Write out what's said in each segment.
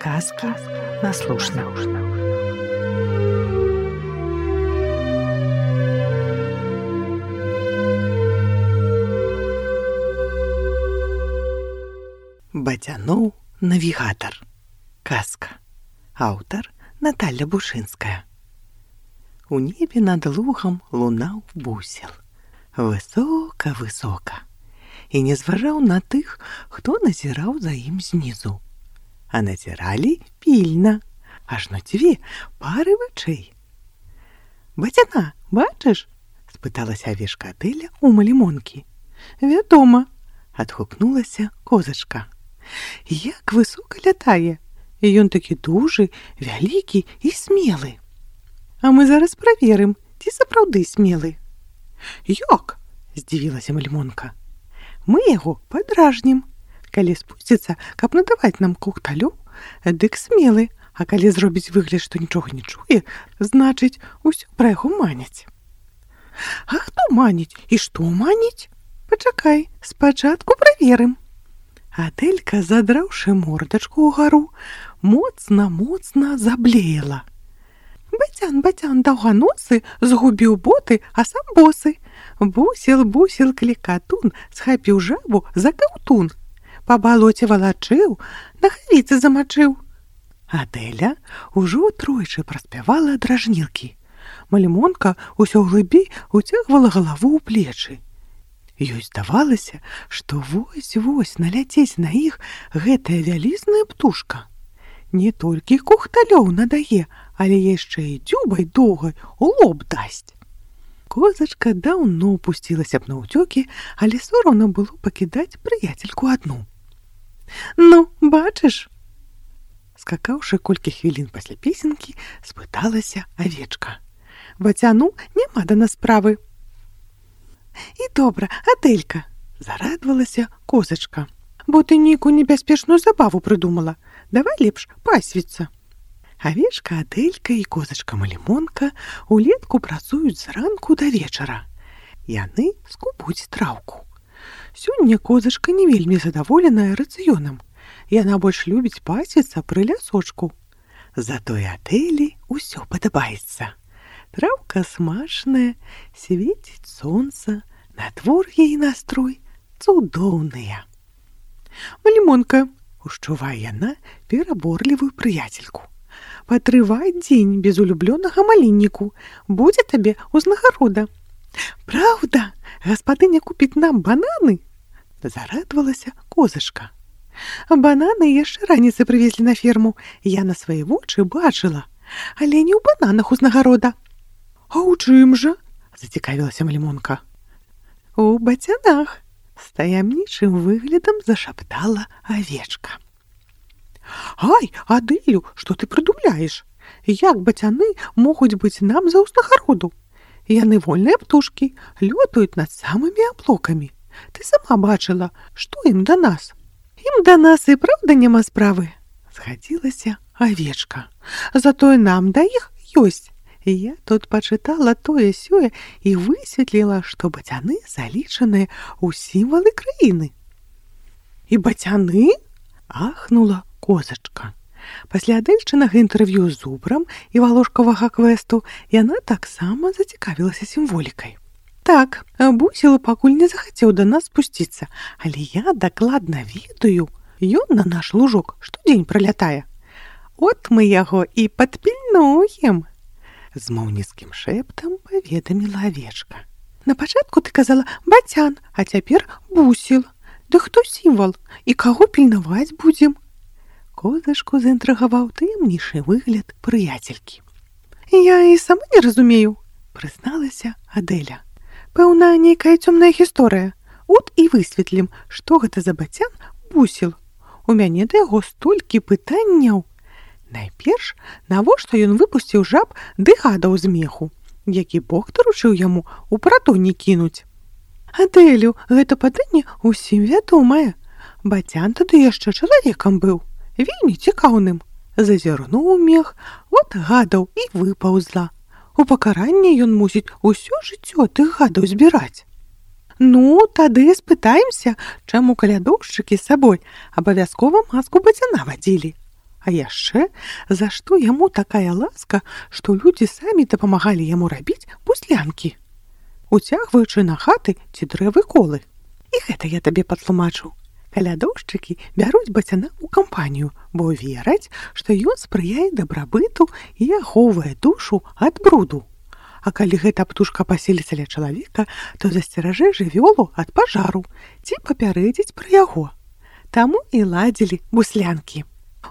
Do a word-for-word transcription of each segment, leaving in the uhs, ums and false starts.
Казки на слушна. Бадзянуў навігатар. Казка. Аўтар Наталья Бушынская. У небе над лугам лунаў бусел. Высока-высока. І не зважаў на тых, хто назіраў за ім знізу. А назіралі пільна, аж на дзве пары вачэй. «Бадзяна, бачыш?» – спыталася авечка Адэля у малімонкі. «Вядома», – адгукнулася козачка. «Як высока лятае! Ён такі дужы, вялікі і смелы. А мы зараз праверым, ці сапраўды смелы». «Як?» – здзівілася малімонка. «Мы яго падражнім. Калі спусціцца, каб надаваць нам кокталю, дык смелы, а калі зробіць выгляд, што нічога не чуе, значыць, усё пра яго маняць». «А хто маніць і што маніць? Пачакай, спачатку праверым». Адэлька, задраўшы мордачку ўгару, моцна-моцна заблеяла. «Бадзян, бадзян, даўганосы, згубіў боты, а сам босы. Бусел, бусел, клікатун, схапіў жабу за каўтун. Па балоце валачыў, на хавіцы замачыў». Адэля ўжо тройчы праспявала дражнілкі. Малімонка ўсё глыбей уцягвала галаву ў плечы. Ёй здавалася, што вось-вось наляцець на іх гэтая вялізная птушка. Не толькі кухталёў надае, але яшчэ і дзюбай доўгай у лоб дасць. Козачка даўно пусцілася б на ўцёкі, але сорамна было пакідаць прыяцельку адну. «Ну, бачыш?» Скакаўшы колькі хвілін пасля песенкі, спыталася авечка. «Бадзяну няма да нас справы». «І добра, Адэлька», – зарадавалася козачка. «Бо ты нейкую небяспечную забаву прыдумала. Давай лепш пасвіцца». Авечка Адэлька і козачка Малімонка улетку працуюць зранку да вечара. Яны скубуць траўку. Сёння козачка не вельмі задаволеная рацыёнам. Яна больш любіць пасвіцца пры лясочку. Затое Адэлі ўсё падабаецца. Траўка смачная, свеціць сонца, надвор'е і настрой цудоўныя. «Малімонка», – ушчувае яна пераборлівую прыяцельку, «патрывай дзень без улюблёнага малінніку, будзе табе ўзнагарода». «Праўда? Гаспадыня купіць нам бананы?» – зарадавалася козачка. «Бананы яшчэ раніцай прывезлі на ферму. Я на свае вочы бачыла, але не ў бананах узнагарода». «А ў чым жа?» – зацікавілася малімонка. «У бадзянах», – з таямнічым выглядам зашаптала авечка. «Ай, Адэлю, што ты прыдумляеш? Як бадзяны могуць быць нам за ўзнагароду? Яны вольныя птушкі, лётаюць над самымі аблокамі. Ты сама бачыла, што ім да нас». «Ім да нас і праўда няма справы», – згадзілася авечка. «Затое нам да іх ёсць. Я тут пачытала тое-сёе і высветліла, што бадзяны залічаныя ў сімвалы краіны». «І бадзяны?» – ахнула козачка. Пасля Адэльчынага інтэрв'ю з зубрам і валошкавага квесту яна таксама зацікавілася сімволікай. «Так, бусел пакуль не захацеў да нас спусціцца, але я дакладна ведаю, ён на наш лужок штодзень пралятае. От мы яго і падпільнуем», – змоўніцкім шэптам паведаміла авечка. «На пачатку ты казала бадзян, а цяпер бусел. Да хто сімвал? І каго пільнаваць будзем?» Козачку заінтрыгаваў таямнішы выгляд прыяцелькі. «Я і сама не разумею», – прызналася Адэля. «Пэўна, нейкая цёмная гісторыя. От і высветлім, што гэта за бадзян бусел. У мяне да яго столькі пытанняў. Найперш, навошта ён выпусціў жаб ды гадаў з меху, які Бог даручыў яму ў пратоні кінуць? Адэлю, гэта пытанне ўсім вядомае. Бадзян тады яшчэ чалавекам быў, вельмі цікаўным. Зазірнуў у мех, от гадаў і выпаўзла. У пакаранне ён мусіць усё жыццё тых гадаў збіраць. Ну, тады спытаемся, чаму калядоўшчыкі з сабой абавязкова маску бадзяна вадзілі. А яшчэ, за што яму такая ласка, што людзі самі дапамагалі яму рабіць буслянкі, уцягваючы на хаты ці дрэвы колы. І гэта я табе патлумачу. Калядоўшчыкі бяруць бацяна ў кампанію, бо вераць, што ён спрыяе дабрабыту і ахоўвае душу ад бруду. А калі гэта птушка паселіцца ля чалавека, то засцеражэ жывёлу ад пажару ці папярэдзіць пра яго. Таму і ладзілі буслянкі.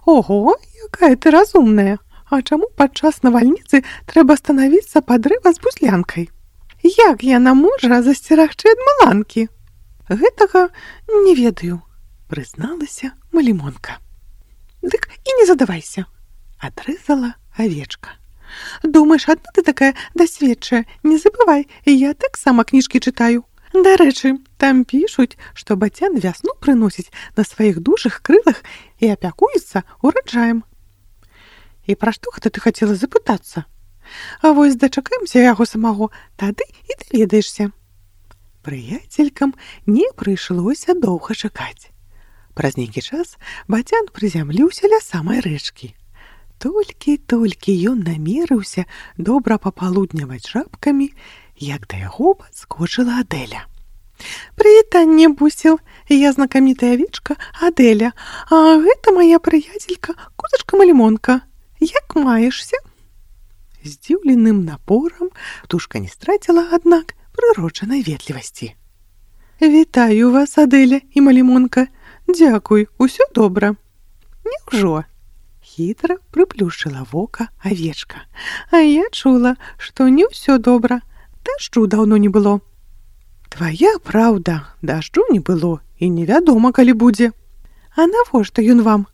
Ого, якая ты разумная! А чаму падчас навальніцы трэба станавіцца пад дрэва з буслянкай? Як яна можа засцерагчы ад маланкі? Гэтага не ведаю, прызналася Малімонка. Дык і не задавайся, адрэзала авечка. Думаеш, адна ты такая дасведчая? Не забывай, я таксама кніжкі чытаю. Дарэчы, там пішуць, што бацян вясну прыносіць на сваіх дужых крылах і апякуецца ураджаем. І пра што гэта ты хацела запытацца? А вось дачакаемся яго самого, тады і даведаешся. Прыяцелькам не прыйшлося доўга чакаць. Праз нейкі час бацян прызямліўся ля самай рэчкі. Толькі-толькі ён намерыўся добра папалудняваць жабкамі, як да яго падскочыла Адэля. «Прывітанне, Бусел, я знакамітая авечка Адэля, а гэта моя прыяцелька козачка Малімонка. Як маешся?» Здзіўленым напорам птушка не страціла, аднак, прыроджанай ветлівасці. «Вітаю вас, Адэля і Малімонка. Дзякуй, усё добра». «Няўжо?» Хітра прыплюшчыла вока авечка. «А я чула, што не ўсё добра. Дажджу даўно не было». «Твая праўда, дажджу не было, і невядома, калі будзе». «А навошта ён вам?»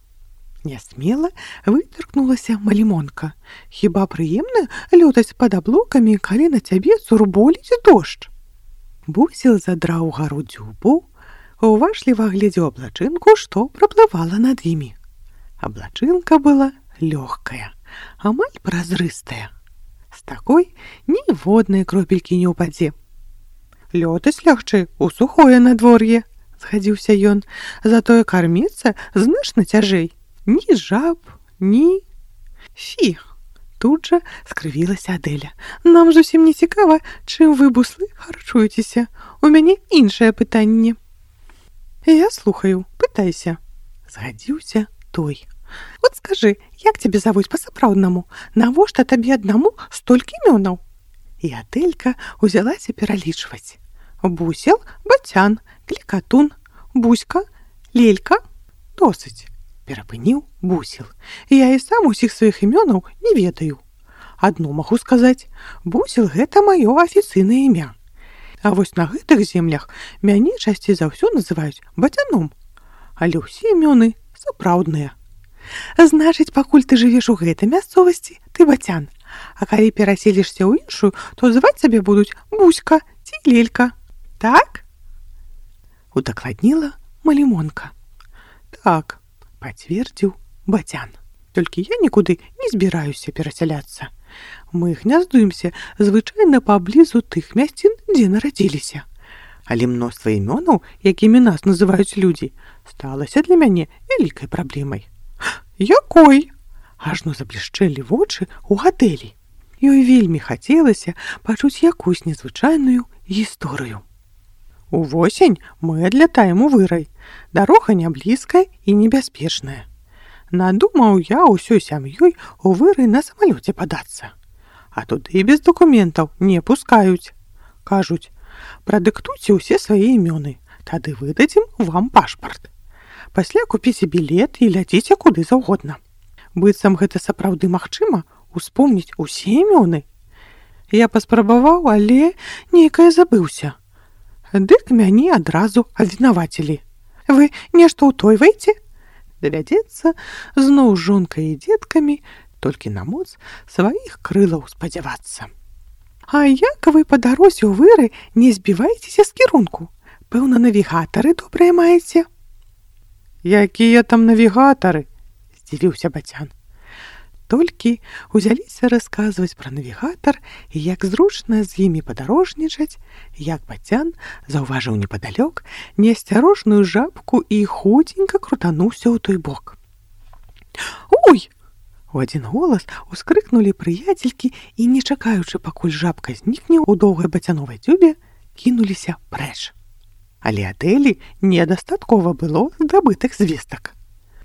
Нясмела вытыркнулася Малімонка. «Хіба прыемна лётаць пад аблокамі, калі на цябе сурболіць дождж?» Бусел задраў гару дзюбу, уважліва глядзеў аблачынку, што праплывала над імі. Аблачынка была лёгкая, амаль празрыстая. З такой ніводнай кропелькі не ўпадзе. «Лётаць лягчэй у сухое надвор'е», — згадзіўся ён, «затое карміцца значна цяжэй. Ні жаб, ні...» «Фі!» — тут жа скрывілася Адэля. «Нам зусім не цікава, чым вы, буслы, харчуецеся. У мяне іншае пытанне». «Я слухаю, пытайся», — згадзіўся той. «Вот скажы, як цябе завуць па-сапраўднаму? Навошта табе аднаму столькі імёнаў?» І Адэлька ўзялася пералічваць. «Бусел, бацян, клікатун, буська, лелька. Досыць», — перапыніў Бусел. «Я і сам усіх сваіх імёнаў не ведаю. Адно магу сказаць, Бусел — гэта маё афіцыйнае імя. А вось на гэтых землях мяне часцей за ўсё называюць бацяном. Але ўсе імёны сапраўдныя». «Значыць, пакуль ты жывеш у гэтай мясцовасці, ты бацян. А калі пераселішся ў іншую, то зваць цябе будуць Буська ці Лелька. Так?» Удакладніла Малімонка. «Так», — пацвердзіў бацян. «Толькі я нікуды не збіраюся перасяляцца. Мы гняздуемся звычайна паблізу тых мясцін, дзе нарадзіліся. Але мноства імёнаў, якімі нас называюць людзі, сталася для мяне вялікай праблемай». «Якой?» Ажно заблішчэлі вочы ў Адэлі. Ёй вельмі хацелася пачуць якусь незвычайную гісторыю. «Увосень мы адлятаем у вырай. Дарога не блізкая і небяспечная. Надумаў я ўсёй сям'ёй у вырай на самалёце падацца. А туды без дакументаў не пускаюць. Кажуць, прадыктуйце ўсе свае імёны, тады выдадзім вам пашпарт. Пасля купіце білет і ляціце куды заўгодна. Быццам гэта сапраўды магчыма успомніць усе імёны. Я паспрабаваў, але нейкае забыўся. Дык мяне адразу абвінавацілі. Вы нешта ўтойваеце? Давядзецца зноў жонкай і дзеткамі толькі на моц сваіх крылаў спадзявацца. А як вы па дарозе ў выры не збіваецеся з кірунку? Пэўна, навігатары добрыя маеце?» «Якія там навігатары?» — здзівіўся бацян. Толькі узяліся расказваць пра навігатар і як зручна з імі падарожнічаць, як бацян заўважыў непадалёк неасцярожную жабку і хуценька крутануўся ў той бок. У адзін голас ускрыкнулі прыяцелькі і, не чакаючы, пакуль жабка знікне ў доўгай бацяновай дзюбе, кінуліся прэч. Але Адэлі недастаткова было здабытых звестак.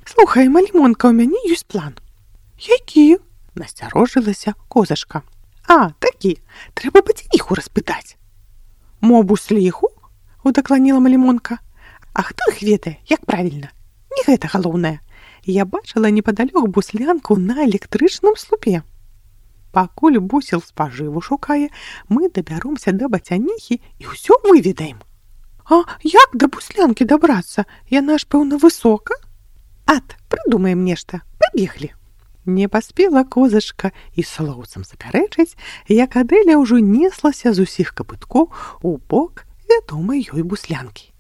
«Слухай, малімонка, у мяне ёсць план». «Які?» – насцярожылася козачка. «А, такі, трэба бацяніху распытаць». «Мо бусліху?» – удакланіла малімонка. «А хто іх ведае, як правільна? Не гэта галоўнае. Я бачыла непадалёк буслянку на электрычным слупе. Пакуль бусел спажыву шукае, мы дабяромся да бацяніхі і ўсё выведаем». «А як да буслянкі дабрацца? Яна ж, пэўна, высока?» «Ат, прыдумаем нешта, пабеглі». Не паспела козачка і слоўцам запярэчыць, як Адэля ўжо неслася з усіх капыткоў у бок вядомай ёй буслянкі.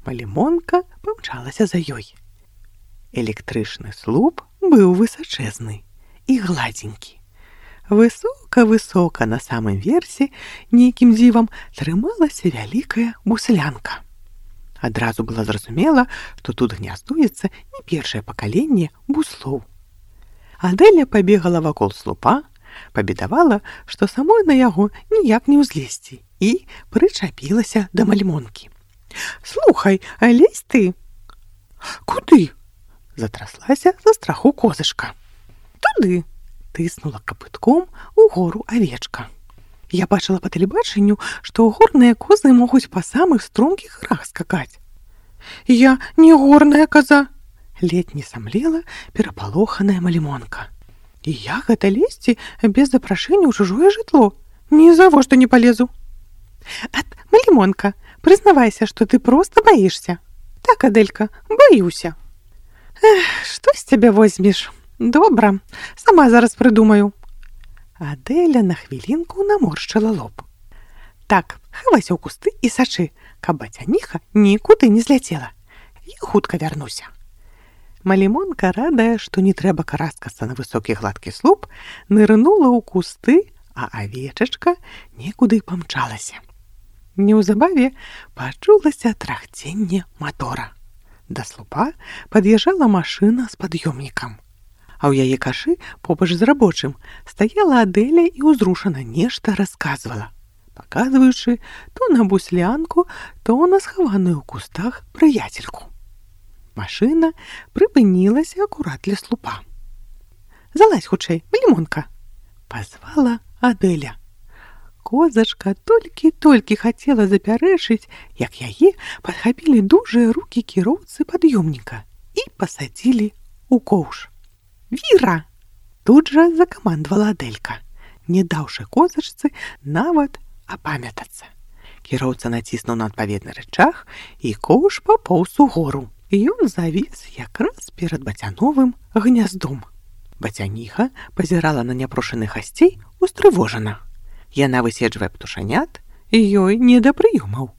Малімонка памчалася за ёй. Электрычны слуп быў высачэзны і гладзенькі. Высока-высока на самым версе нейкім дзівам трымалася вялікая буслянка. Адразу было зразумела, што тут гняздуецца не першае пакаленне буслоў. Адэля пабегала вакол слупа, пабедавала, што самой на яго ніяк не ўзлезці, і прычапілася да малімонкі. «Слухай, а лезь ты?» «Куды?» – затраслася за страху козачка. «Туды!» – тыснула капытком у гору авечка. «Я бачыла па тэлебачанню, што горныя козы могуць па самых стромкіх гарах скакаць». «Я не горная коза!» – ледзь не самлела перапалоханая малімонка. «І я гэта лезці без запрашэння ў чужое жытло? Ні завошта не палезу». «Ат, малімонка, прызнавайся, што ты проста баішся». «Так, Адэлька, баюся». «Эх, што з цябе возьмеш? Добра, сама зараз прыдумаю». Адэля на хвілінку наморшчыла лоб. «Так, хавайся ў кусты і сачы, каб бацяніха нікуды не зляцела. Я хутка вярнуся». Малімонка, радая, што не трэба караскацца на высокі гладкі слуп, нырнула ў кусты, а авечачка некуды памчалася. Неўзабаве пачулася трахценне матора. Да слупа пад'язджала машына з пад'ёмнікам. А ў яе кашы, побач з рабочым, стаяла Адэля і ўзрушана нешта расказвала, паказваючы то на буслянку, то на схаваную ў кустах прыяцельку. Машына прыпынілася акурат ля слупа. «Залазь хутчэй, малімонка!» – пазвала Адэля. Козачка толькі-толькі хацела запярэчыць, як яе падхапілі дужыя рукі кіроўцы пад'ёмніка і пасадзілі ў коўш. «Віра!» – тут жа закамандавала Адэлька, не даўшы козачцы нават апамятацца. Кіроўца націснуў на адпаведны рычаг, і коўш папоўз угору. Ён завіс якраз перад бацяновым гняздом. Бацяніха пазірала на няпрошаных гасцей устрывожана. Яна выседжвае птушанят, і ёй не да прыёмаў.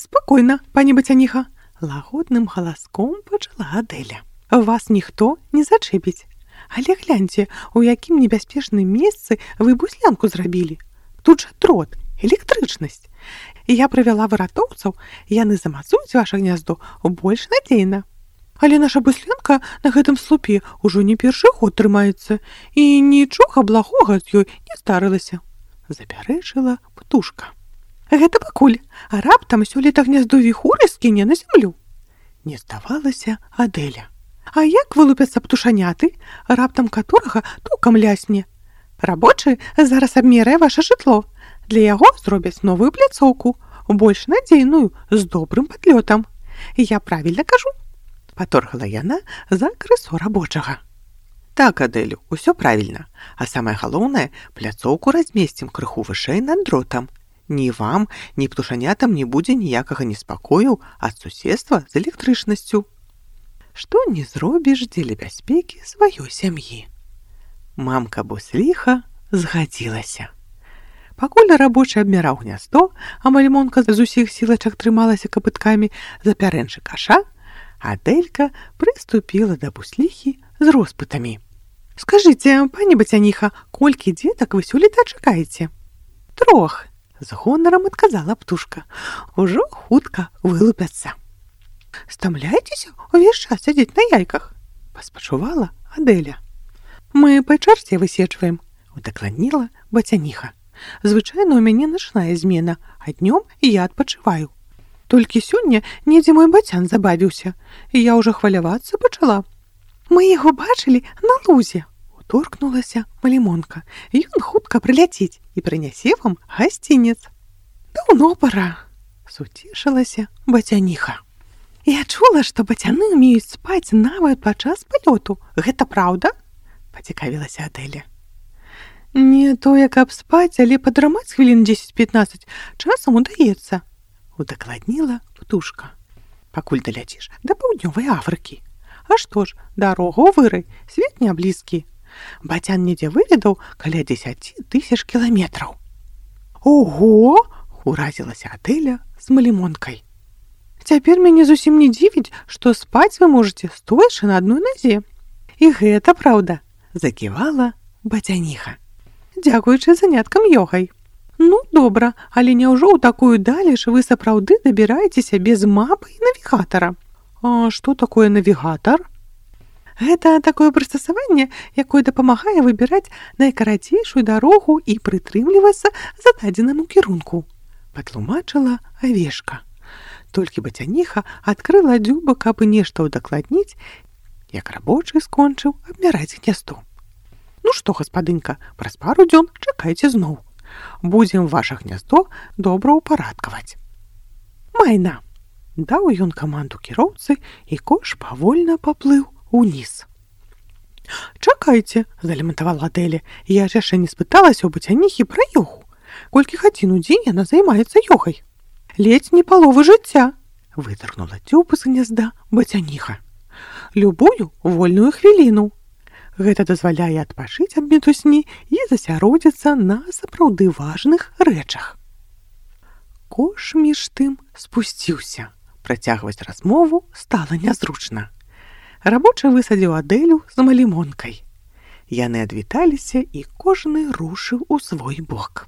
«Спакойна, пані бацяніха», – лагодным галаском пачала Адэля. «Вас ніхто не зачэпіць. Але гляньце, у якім небяспечным месцы вы буслянку зрабілі. Тут жа дрот, электрычнасць. Я прывяла выратоўцаў, яны замацуюць ваша гняздо больш надзейна. Але наша буслянка на гэтым слупе ўжо не першы год трымаецца, і нічога благога з ёй не здарылася», – запярэчыла птушка. «Гэта пакуль, а раптам сёлета гняздо віхуры скіне на зямлю». Не здавалася Адэля. «А як вылупяцца птушаняты, раптам каторага токам лясне? Рабочы зараз абмерае ваша жытло. Для яго зробяць новую пляцоўку, больш надзейную, з добрым падлётам. Я правільна кажу?» Паторгала яна за крысо рабочага. «Так, Адэлю, усё правільна. А самае галоўнае, пляцоўку размесцім крыху вышэй над дротам. Ні вам, ні птушанятам не будзе ніякага неспакою ад суседства з электрычнасцю. Што не зробіш дзеля бяспекі сваёй сям'і». Мамка бусліха згадзілася. Пакуль рабочы абміраў гняздо, а малімонка з усіх сілачак трымалася капыткамі за пярэнчы каша, Адэлька прыступіла да бусліхі з роспытамі. «Скажыце, пані бацяніха, колькі дзетак вы сёлета чакаеце?» «Трох», – з гонарам адказала птушка. «Ужо хутка вылупяцца». «Стамляецеся ўвесь час сядзець на яйках?» – паспачувала Адэля. Мы по чарце высечваем, удакладніла бацяніха. Звычайна ў мяне начная змена, а днём я адпачываю. Толькі сёння недзе мой бацян забавіўся, і я ўжо хвалявацца пачала. Мы яго бачылі на лузе, уторкнулася Малімонка. Ён хутка прыляціць і прынясе вам гасцінец. Даўно пара, суцешылася бацяніха. Я чула, што бацяны ўмеюць спаць нават падчас палёту. Гэта праўда? Пацікавілася Адэля. Не тое, каб спаць, але падрамаць хвілін дзесяць-пятнаццаць часам удаецца, удакладніла птушка. Пакуль даляціш да паўднёвай Афрыкі. А што ж, дарогу вырай, свет не блізкі. Бацян недзе выведаў каля дзесяці тысяч кіламетраў. Ого! Уразілася Адэля з Малімонкай. Цяпер мяне зусім не дзівіць, што спаць вы можаце, стоячы на адной назе. І гэта праўда, заківала бацяніха. Дзякуючы заняткам ёгай. Ну, добра, але няўжо ў такую далеч вы сапраўды дабіраецеся без мапы і навігатара? А што такое навігатар? Гэта такое прыстасаванне, якое дапамагае выбіраць найкарацейшую дарогу і прытрымлівацца зададзенаму кірунку, патлумачыла Авешка. Толькі бацяніха адкрыла дзюба, каб і нешта ўдакладніць, як рабочы скончыў абмяраць гняздо. Ну што, гаспадынька, праз пару дзён чакайце зноў. Будзем ваша гняздо добра ўпарадкаваць. Майна! Даў ён каманду кіроўцы, і кош павольна паплыў уніз. Чакайце, залямантавала Адэля, я ж яшчэ не спыталася ў бацяніхі пра ёгу. Колькі гадзін у дзень яна займаецца ёгай? Ледзь не паловы жыцця, вытаргнула дзюб з гнязда бацяніха. Любую вольную хвіліну. Гэта дазваляе адпачыць ад мітусні і засяродзіцца на сапраўды важных рэчах. Кош між тым спусціўся. Працягваць размову стала нязручна. Рабочы высадзіў Адэлю з Малімонкай. Яны адвіталіся, і кожны рушыў у свой бок.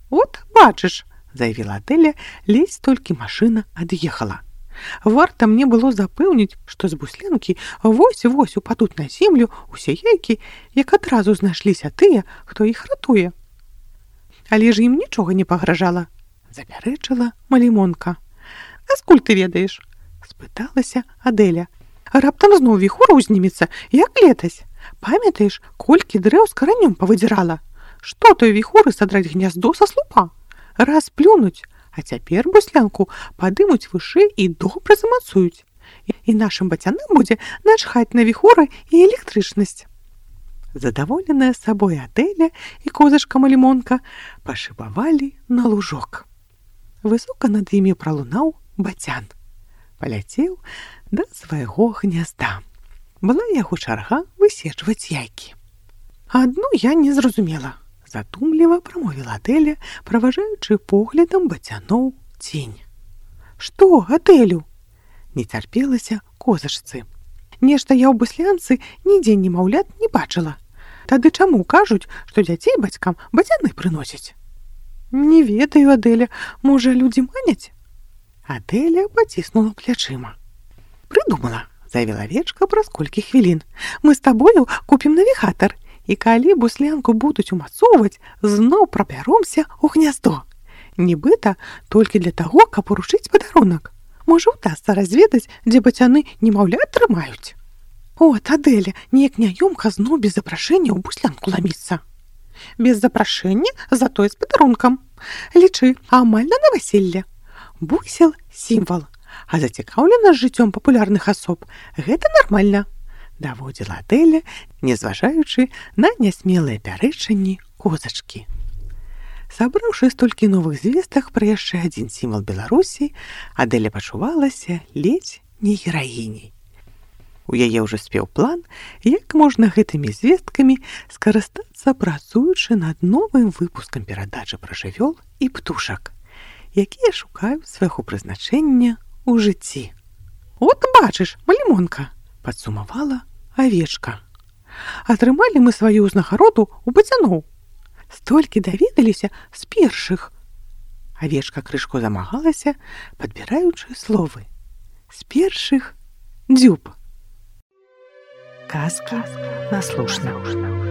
От, бачыш, заявіла Адэля, ледзь толькі машына ад'ехала. Варта мне было запэўніць, што з Буслянкі вось-вось упадуць на землю усе яйкі, як адразу знайшліся тыя, хто іх ратуе. Але ж ім нічога не пагражала, запярэчыла Малімонка. А скуль ты ведаеш? Спыталася Адэля. Раптам зноў віхура ўзнімецца, як летась. Памятаеш, колькі дрэў з каранём павыдзірала? Што той віхуры садраць гняздо са слупа? Раз плюнуць, а цяпер Буслянку падымуць вышэй і добра замацуюць. І нашым бацянам будзе начхаць на віхуры і электрычнасць. Задаволеная сабой Адэля і козачка Малімонка пашыбавалі на лужок. Высока над імі пралунаў бацян. Паляцеў да свайго гнязда. Была яго чарга высечваць яйкі. Адну я не зразумела. Задумліва прамовіла Адэля, праважаючы поглядам бацяноў цень. Што, Адэлю? Не цярпелася козачцы. Нешта я ў Буслянцы нідзе немаўлят не бачыла. Тады чаму кажуць, што дзяцей бацькам бацяны прыносяць? Не ведаю, Адэля, можа, людзі маняць? Адэля паціснула плячыма. Прыдумала, заявіла Авечка праз колькі хвілін. Мы з табою купім навігатар. І калі Буслянку будуць умацоўваць, зноў прабяромся ў гняздо. Нібыта толькі для таго, каб уручыць падарунак. Можа, удасца разведаць, дзе бацяны немаўлят трымаюць. От, Адэля, неяк няёмка зноў без запрашэння ў Буслянку ламіцца. Без запрашэння, затое з падарункам. Лічы, амаль на наваселле. Бусел – сімвал, а зацікаўлена жыццём папулярных асоб – гэта нармальна. Даводзіла Адэля, не зважаючы на нясмелыя пярэчанні козачкі. Сабраўшы столькі новых звестак пра яшчэ адзін сімвал Беларусі, Адэля пачувалася ледзь не гераіняй. У яе ўжо спеў план, як можна гэтымі звесткамі скарыстацца, працуючы над новым выпускам перадачы пра жывёл і птушак, якія шукаюць свайго прызначэння ў жыцці. От бачыш, Малімонка, падсумавала Авечка. Атрымалі мы сваю ўзнагароду ў бацяноў. Столькі даведаліся з першых. Авечка крышку замагалася, падбіраючы словы. З першых дзюб. Казка на слушна.